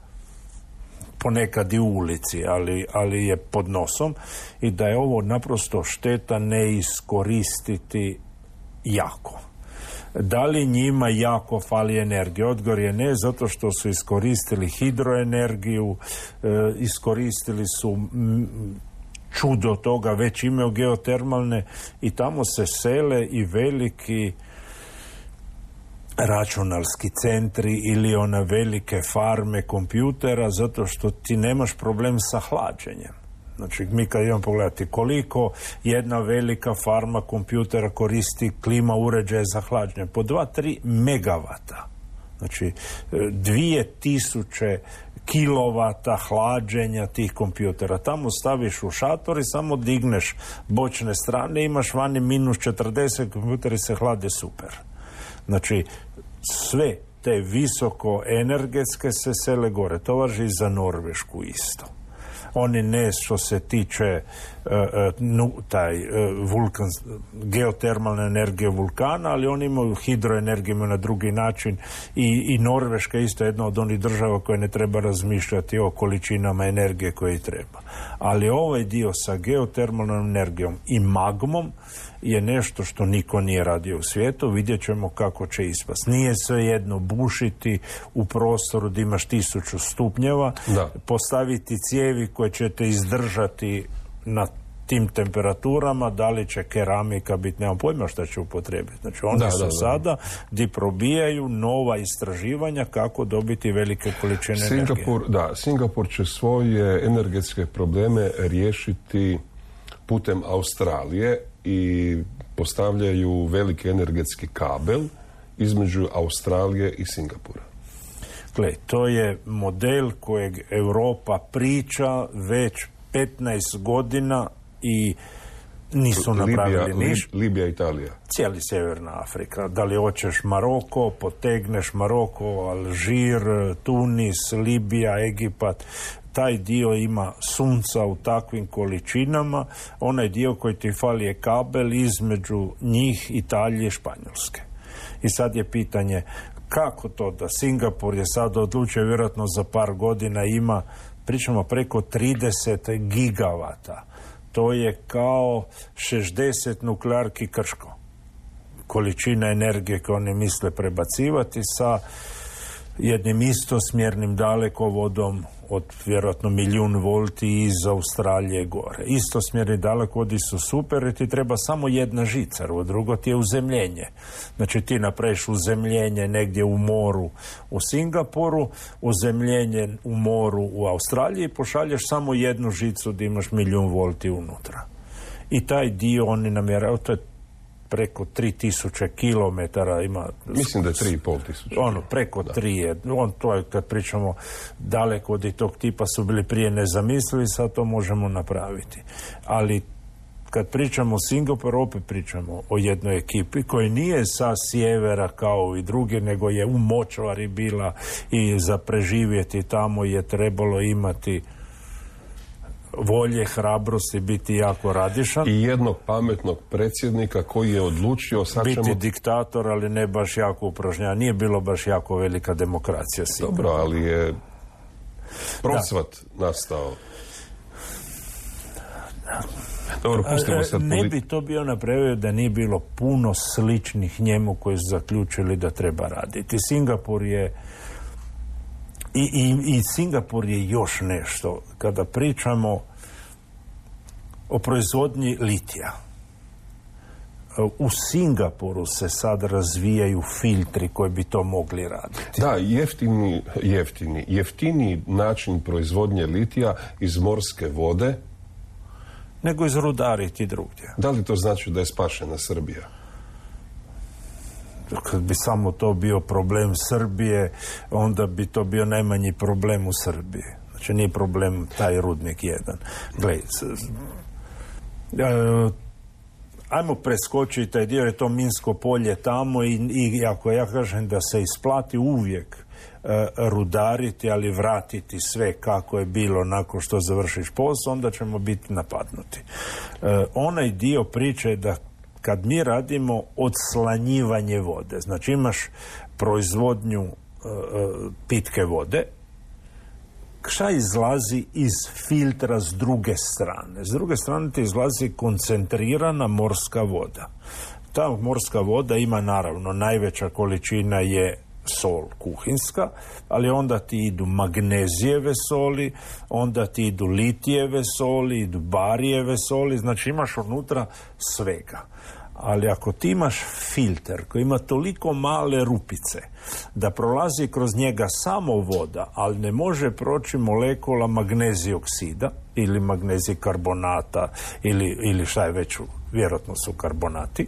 ponekad i u ulici, ali je pod nosom, i da je ovo naprosto šteta ne iskoristiti jako. Da li njima jako fali energije? Odgovor je ne, zato što su iskoristili hidroenergiju, iskoristili su čudo toga, već imaju geotermalne i tamo se sele i veliki računalski centri ili one velike farme kompjutera, zato što ti nemaš problem sa hlađenjem. Znači, mi kad idemo pogledati koliko jedna velika farma kompjutera koristi klima uređaje za hlađenje, po 2-3 megavata. Znači, 2000 kilovata hlađenja tih kompjutera. Tamo staviš u šator i samo digneš bočne strane, imaš vani minus 40, kompjuteri se hlade super. Znači, sve te visoko energetske se sele gore. To važi i za Norvešku isto. Oni ne što se tiče geotermalne energije vulkana, ali oni imaju hidroenergiju na drugi način i Norveška je isto jedna od onih država koje ne treba razmišljati o količinama energije koje treba. Ali ovaj dio sa geotermalnom energijom i magmom je nešto što niko nije radio u svijetu. Vidjet ćemo kako će ispast. Nije svejedno bušiti u prostoru da imaš 1000 stupnjeva, postaviti cijevi koje ćete izdržati na tim temperaturama, da li će keramika biti, nemam pojma šta će upotrebiti. Znači oni su sada gdje probijaju nova istraživanja kako dobiti velike količine energije. Singapur će svoje energetske probleme riješiti putem Australije i postavljaju veliki energetski kabel između Australije i Singapura. Gle, to je model kojeg Europa priča već 15 godina i nisu napravili ništa. Libija, Italija. Cijeli Sjeverna Afrika. Da li hoćeš Maroko, potegneš Maroko, Alžir, Tunis, Libija, Egipat. Taj dio ima sunca u takvim količinama. Onaj dio koji ti fali je kabel između njih, Italije i Španjolske. I sad je pitanje kako to da Singapur je sad odlučio, vjerojatno za par godina ima, pričamo preko 30 gigavata. To je kao 60 nuklearki Krško. Količina energije koju oni misle prebacivati sa jednim istosmjernim dalekovodom od vjerojatno 1.000.000 volti iz Australije gore. Istosmjerni dalekovodi su super i ti treba samo jedna žica, a drugo ti je uzemljenje. Znači ti napraviš uzemljenje negdje u moru u Singapuru, uzemljenje u moru u Australiji i pošalješ samo jednu žicu da imaš 1.000.000 volti unutra. I taj dio oni namjeraju, to je preko 3000 kilometara ima. Mislim da je 3.500. Preko 3 je. To je kad pričamo daleko od tog tipa su bili prije nezamislivi, sad to možemo napraviti. Ali kad pričamo o Singapuru, opet pričamo o jednoj ekipi koja nije sa sjevera kao i druge, nego je u močvari bila i za preživjeti tamo je trebalo imati volje, hrabrosti, biti jako radišan. I jednog pametnog predsjednika koji je odlučio biti diktator, ali ne baš jako upražnjava. Nije bilo baš jako velika demokracija. Dobro, ali je procvat nastao. Dobro, pustimo sad ne bi to bio napravio da nije bilo puno sličnih njemu koji su zaključili da treba raditi. Singapur je I Singapur je još nešto. Kada pričamo o proizvodnji litija, u Singapuru se sad razvijaju filtri koji bi to mogli raditi. Da, jeftiniji način proizvodnje litija iz morske vode nego izrudariti drugdje. Da li to znači da je spašena Srbija? Kad bi samo to bio problem Srbije, onda bi to bio najmanji problem u Srbiji. Znači nije problem taj rudnik jedan. Gledaj, ajmo preskočiti taj dio, je to minsko polje tamo i ako ja kažem da se isplati uvijek rudariti, ali vratiti sve kako je bilo nakon što završiš posao, onda ćemo biti napadnuti. Onaj dio priče je da kad mi radimo odslanjivanje vode, znači imaš proizvodnju pitke vode, šta izlazi iz filtra s druge strane? S druge strane ti izlazi koncentrirana morska voda. Ta morska voda ima naravno, najveća količina je sol kuhinska, ali onda ti idu magnezijeve soli, onda ti idu litijeve soli, idu barijeve soli, znači imaš unutra svega. Ali ako ti imaš filter koji ima toliko male rupice da prolazi kroz njega samo voda, ali ne može proći molekula magnezij oksida ili magnezij karbonata ili šta je već, vjerojatno su karbonati,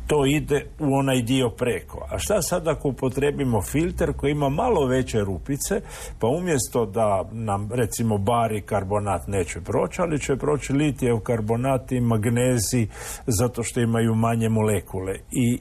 to ide u onaj dio preko. A šta sad ako upotrebimo filter koji ima malo veće rupice, pa umjesto da nam recimo bari karbonat neće proći, ali će proći litijev karbonat i magnezij zato što imaju manje molekule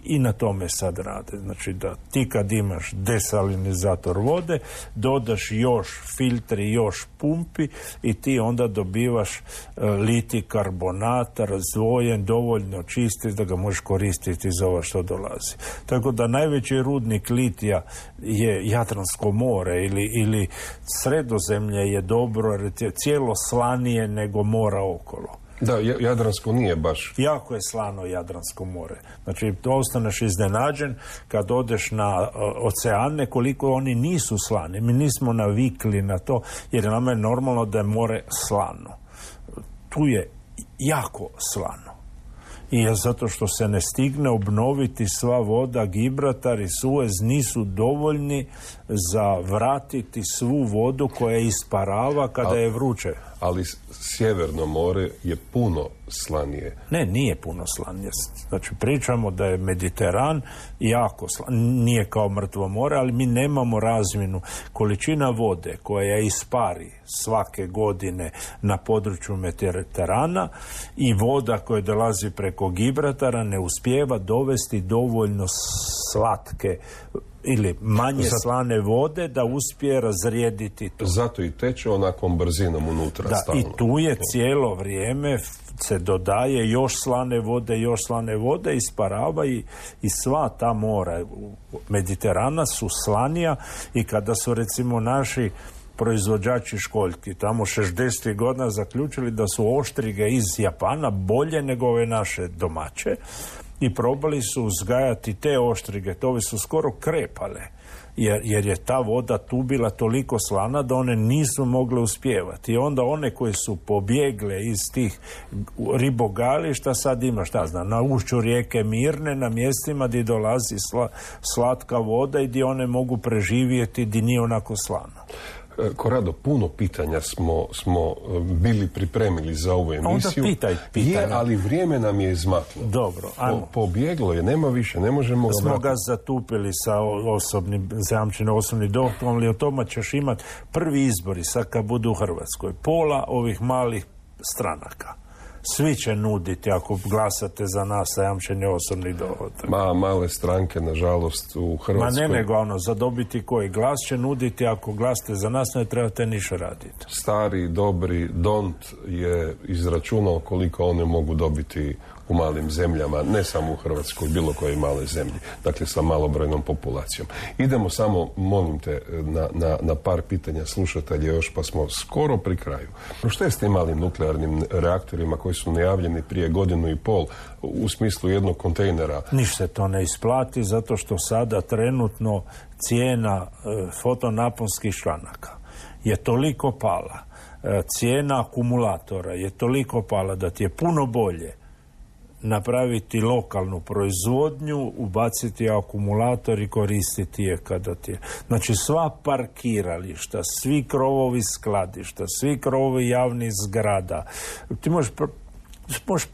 i na tome sad rade. Znači da ti kad imaš desalinizator vode, dodaš još filtri, još pumpi i ti onda dobivaš litij karbonat razdvojen, dovoljno čisti da ga možeš koristiti za ovo što dolazi. Tako da najveći rudnik litija je Jadransko more ili Sredozemlje je dobro jer je cijelo slanije nego mora okolo. Da, Jadransko nije baš. Jako je slano Jadransko more. Znači, ostaneš iznenađen kad odeš na oceane koliko oni nisu slani. Mi nismo navikli na to jer nama je normalno da je more slano. Tu je jako slano. I je zato što se ne stigne obnoviti sva voda, Gibraltar i Suez nisu dovoljni za vratiti svu vodu koja isparava kada je vruće. Ali Sjeverno more je puno slanije. Ne, nije puno slanije. Znači, pričamo da je Mediteran jako nije kao Mrtvo more, ali mi nemamo razmjenu. Količina vode koja ispari svake godine na području Mediterana i voda koja dolazi preko Gibraltara ne uspijeva dovesti dovoljno slatke ili manje slane vode da uspije razrijediti to. Zato i teče onakvom brzinom unutra. Da, stalno. i tu je cijelo vrijeme se dodaje još slane vode, isparava i sva ta mora Mediterana su slanija i kada su recimo naši proizvođači školjki tamo 60. godina zaključili da su oštrige iz Japana bolje nego ove naše domaće i probali su uzgajati te oštrige, tove su skoro krepale jer je ta voda tu bila toliko slana da one nisu mogle uspijevati i onda one koje su pobjegle iz tih ribogališta sad ima na ušću rijeke Mirne na mjestima gdje dolazi slatka voda i gdje one mogu preživjeti gdje nije onako slano. Korado, puno pitanja smo bili pripremili za ovu emisiju. Onda pitaj. Je, ali vrijeme nam je izmaklo. Dobro, ajmo. Pobjeglo je, nema više, ne možemo ga smo ga zatupili sa zajamčenim osobnim dohotkom, ali o tome ćeš imati prvi izbori sad kad budu u Hrvatskoj. Pola ovih malih stranaka. Svi će nuditi ako glasate za nas zajamčeni osobni dohodak. Male stranke, nažalost, u Hrvatskoj. Nego za dobiti koji glas će nuditi, ako glasate za nas ne trebate ništa raditi. Stari, dobri Dont je izračunao koliko one mogu dobiti u malim zemljama, ne samo u Hrvatskoj, bilo koje male zemlji, dakle sa malobrojnom populacijom. Idemo samo, molim te, na par pitanja slušatelja još, pa smo skoro pri kraju. Što je s tim malim nuklearnim reaktorima koji su najavljeni prije 1.5 godina u smislu jednog kontejnera? Ništa se to ne isplati, zato što sada trenutno cijena fotonaponskih članaka je toliko pala, cijena akumulatora je toliko pala da ti je puno bolje napraviti lokalnu proizvodnju, ubaciti akumulator i koristiti je kada ti je. Znači sva parkirališta, svi krovovi skladišta, svi krovovi javnih zgrada, ti možeš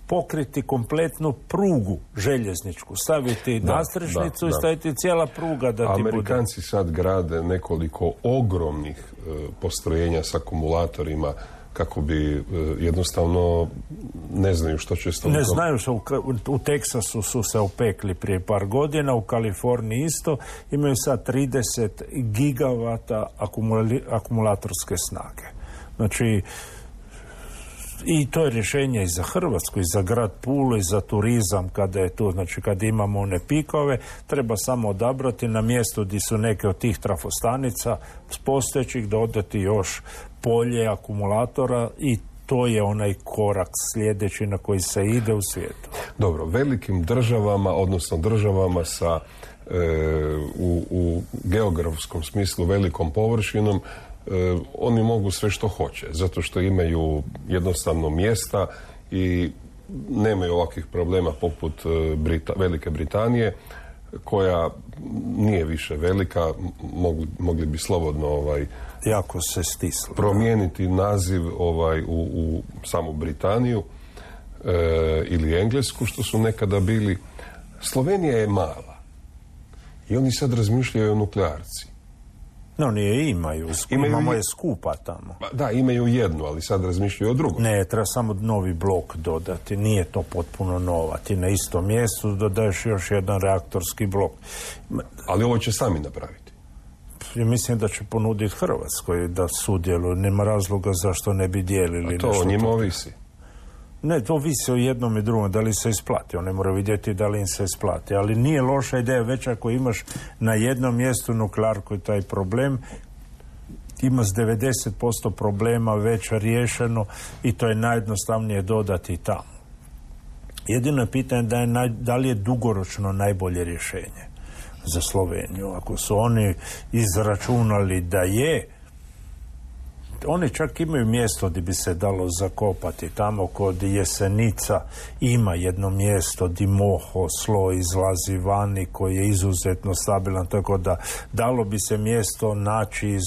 pokriti kompletnu prugu željezničku, staviti nastrešnicu i staviti cijela pruga da ti bude. Amerikanci sad grade nekoliko ogromnih postrojenja s akumulatorima kako bi jednostavno ne znaju što će s tom. Ne znaju što u Teksasu su se opekli prije par godina, u Kaliforniji isto, imaju sad 30 gigavata akumulatorske snage. Znači, i to je rješenje i za Hrvatsku, i za grad Pulu, i za turizam kada je tu, znači kad imamo one pikove, treba samo odabrati na mjestu gdje su neke od tih trafostanica postojećih dodati još polje akumulatora i to je onaj korak sljedeći na koji se ide u svijetu. Dobro, velikim državama, odnosno državama sa u geografskom smislu velikom površinom, oni mogu sve što hoće, zato što imaju jednostavno mjesta i nemaju ovakvih problema poput Velike Britanije, koja nije više velika, mogli bi slobodno jako se stislo promijeniti naziv u samu Britaniju. ili Englesku, što su nekada bili. Slovenija je mala i oni sad razmišljaju o nuklearci. No, oni je imaju je skupa tamo. Da, imaju jednu, ali sad razmišljaju o drugom. Ne, treba samo novi blok dodati, nije to potpuno nova. Ti na istom mjestu dodaješ još jedan reaktorski blok. Ali ovo će sami napraviti. Ja mislim da će ponuditi Hrvatskoj da sudjeluju, nema razloga zašto ne bi dijelili. A to o njima ovisi. Ne, to ovisi o jednom i drugom, da li se isplati. Oni moraju vidjeti da li im se isplati. Ali nije loša ideja, već ako imaš na jednom mjestu nuklearku i taj problem, ima s 90% problema već riješeno i to je najjednostavnije dodati tamo. Jedino pitanje da li je dugoročno najbolje rješenje za Sloveniju. Ako su oni izračunali da je, oni čak imaju mjesto gdje bi se dalo zakopati. Tamo kod Jesenica ima jedno mjesto gdje moho, sloj izlazi vani koji je izuzetno stabilan, tako da dalo bi se mjesto naći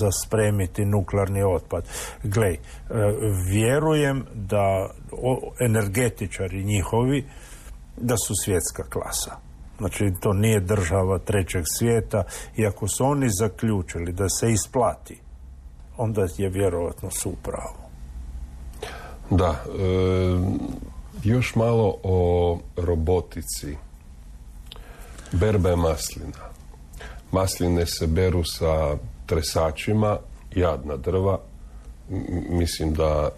za spremiti nuklearni otpad. Glej, vjerujem da energetičari njihovi da su svjetska klasa. Znači, to nije država trećeg svijeta i ako su oni zaključili da se isplati, onda je vjerojatno su u pravu. Da, još malo o robotici. Berbe maslina. Masline se beru sa tresačima, jadna drva. Mislim da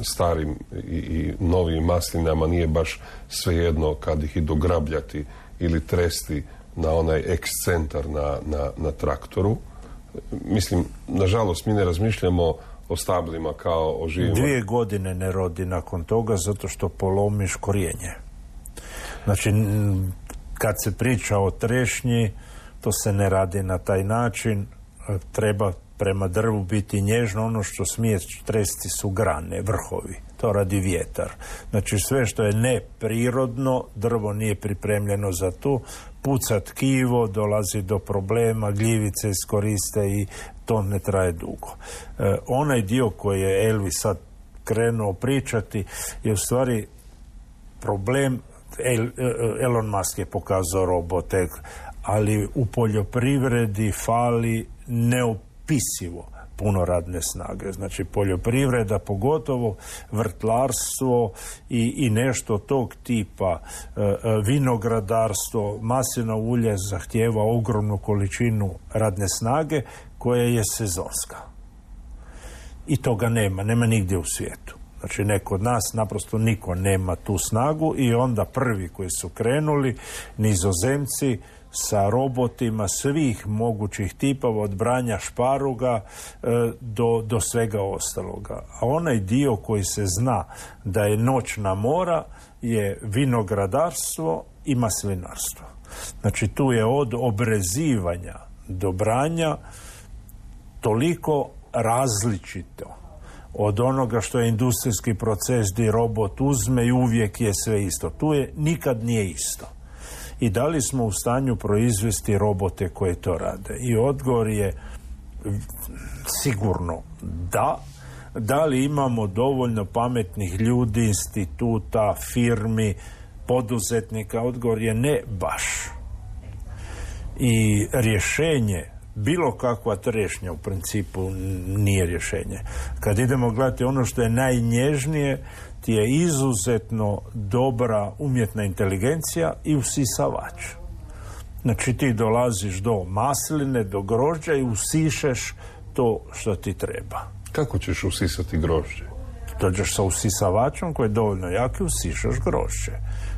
starim i novim maslinama nije baš svejedno kad ih idu grabljati ili tresti na onaj ekscentar na traktoru. Mislim, nažalost, mi ne razmišljamo o stablima kao o živima. 2 godine ne rodi nakon toga zato što polomiš korijenje. Znači, kad se priča o trešnji, to se ne radi na taj način. Treba prema drvu biti nježno. Ono što smije tresti su grane, vrhovi. To radi vjetar. Znači, sve što je neprirodno, drvo nije pripremljeno za to. Puca tkivo, dolazi do problema, gljivice iskoriste i to ne traje dugo. Onaj dio koji je Elvi sad krenuo pričati je u stvari problem. Elon Musk je pokazao robote, ali u poljoprivredi fali neopisivo puno radne snage. Znači, poljoprivreda, pogotovo vrtlarstvo i nešto tog tipa, vinogradarstvo, maslinovo ulje zahtijeva ogromnu količinu radne snage koja je sezonska. I toga nema nigdje u svijetu. Znači, kod nas naprosto niko nema tu snagu i onda prvi koji su krenuli, Nizozemci, sa robotima svih mogućih tipova, od branja šparuga do svega ostaloga. A onaj dio koji se zna da je noćna mora je vinogradarstvo i maslinarstvo. Znači, tu je od obrezivanja do branja toliko različito od onoga što je industrijski proces gdje robot uzme i uvijek je sve isto. Tu nikad nije isto. I da li smo u stanju proizvesti robote koje to rade? I odgovor je sigurno da. Da li imamo dovoljno pametnih ljudi, instituta, firmi, poduzetnika? Odgovor je ne baš. I rješenje, bilo kakva trešnja u principu nije rješenje. Kad idemo gledati ono što je najnježnije, ti je izuzetno dobra umjetna inteligencija i usisavač. Znači, ti dolaziš do masline, do grožđa i usišeš to što ti treba. Kako ćeš usisati grožđe? Dođeš sa usisavačom koji je dovoljno jak i usišaš grožđe.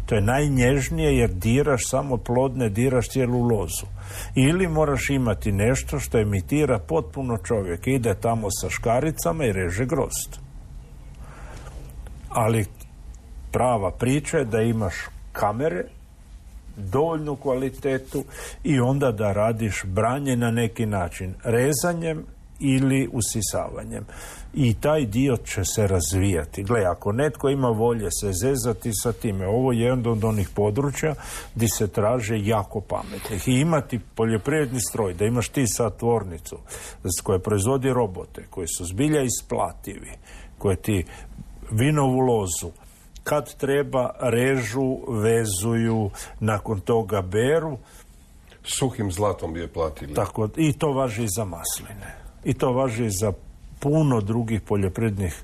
To je najnježnije jer diraš samo plodne, diraš cijelu lozu. Ili moraš imati nešto što imitira potpuno čovjek. Ide tamo sa škaricama i reže grozd. Ali prava priča je da imaš kamere, dovoljnu kvalitetu i onda da radiš branje na neki način, rezanjem ili usisavanjem. I taj dio će se razvijati. Gle, ako netko ima volje se zezati sa time, ovo je jedan od onih područja gdje se traže jako pametnih. I imati poljoprivredni stroj, da imaš ti sad tvornicu koja proizvodi robote, koji su zbilja isplativi, koje ti vinovu lozu kad treba režu, vezuju, nakon toga beru. Suhim zlatom bi je platili. Tako, i to važi i za masline. I to važi i za puno drugih poljoprivrednih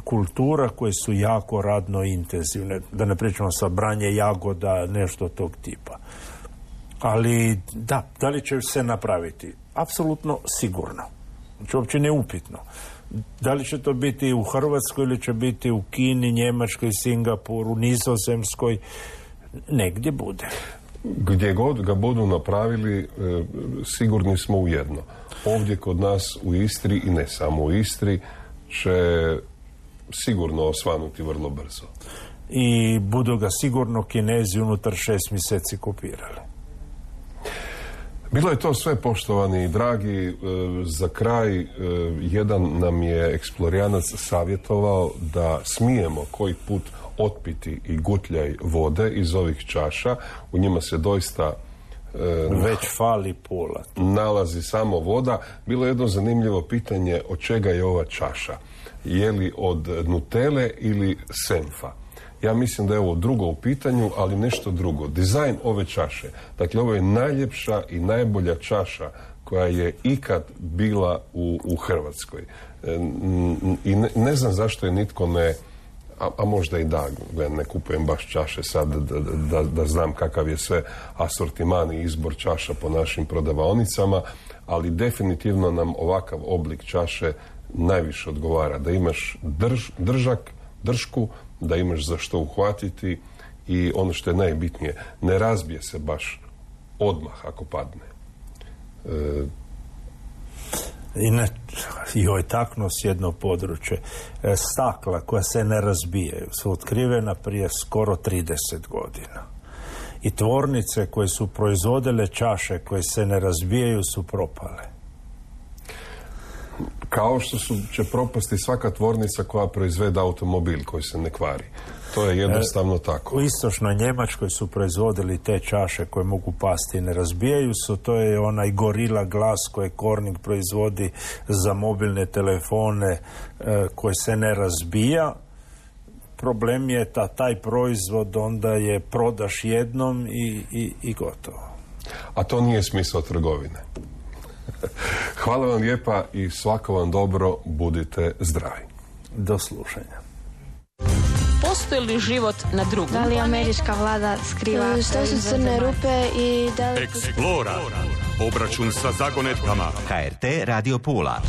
kultura koje su jako radno intenzivne. Da ne pričamo sa branje jagoda, nešto tog tipa. Ali da li će se napraviti? Apsolutno sigurno. Znači, uopće neupitno. Da li će to biti u Hrvatskoj ili će biti u Kini, Njemačkoj, Singapuru, Nizozemskoj, negdje bude. Gdje god ga budu napravili, sigurni smo u jedno. Ovdje kod nas u Istri, i ne samo u Istri, će sigurno osvanuti vrlo brzo. I budu ga sigurno Kinezi unutar 6 mjeseci kopirali. Bilo je to sve, poštovani i dragi. Za kraj, jedan nam je eksplorijanac savjetovao da smijemo koji put otpiti i gutljaj vode iz ovih čaša. U njima se doista već fali pola. Nalazi samo voda. Bilo je jedno zanimljivo pitanje od čega je ova čaša. Je li od Nutele ili Senfa? Ja mislim da je ovo drugo u pitanju, ali nešto drugo. Dizajn ove čaše. Dakle, ovo je najljepša i najbolja čaša koja je ikad bila u Hrvatskoj. I ne znam zašto je nitko ne... A možda i da, ne kupujem baš čaše sad da znam kakav je sve asortiman i izbor čaša po našim prodavaonicama, ali definitivno nam ovakav oblik čaše najviše odgovara. Da imaš držku, da imaš za što uhvatiti i ono što je najbitnije, ne razbije se baš odmah ako padne. Joj, taknuo s jedno područje. Stakla koja se ne razbijaju su otkrivena prije skoro 30 godina. I tvornice koje su proizvodile čaše koje se ne razbijaju su propale. Kao što će propasti svaka tvornica koja proizvede automobil koji se ne kvari. To je jednostavno tako. U istočnoj Njemačkoj su proizvodili te čaše koje mogu pasti i ne razbijaju se. To je onaj Gorilla Glass koje Corning proizvodi za mobilne telefone koji se ne razbija. Problem je taj proizvod onda je prodaš jednom i gotovo. A to nije smisao trgovine. Hvala vam lijepa i svako vam dobro, budite zdravi. Do slušanja. Postoji li život na drugom? Da li američka vlada skriva Što su crne rupe i da li... Eksplora. Obračun sa zagonetkama. HRT Radio Pula.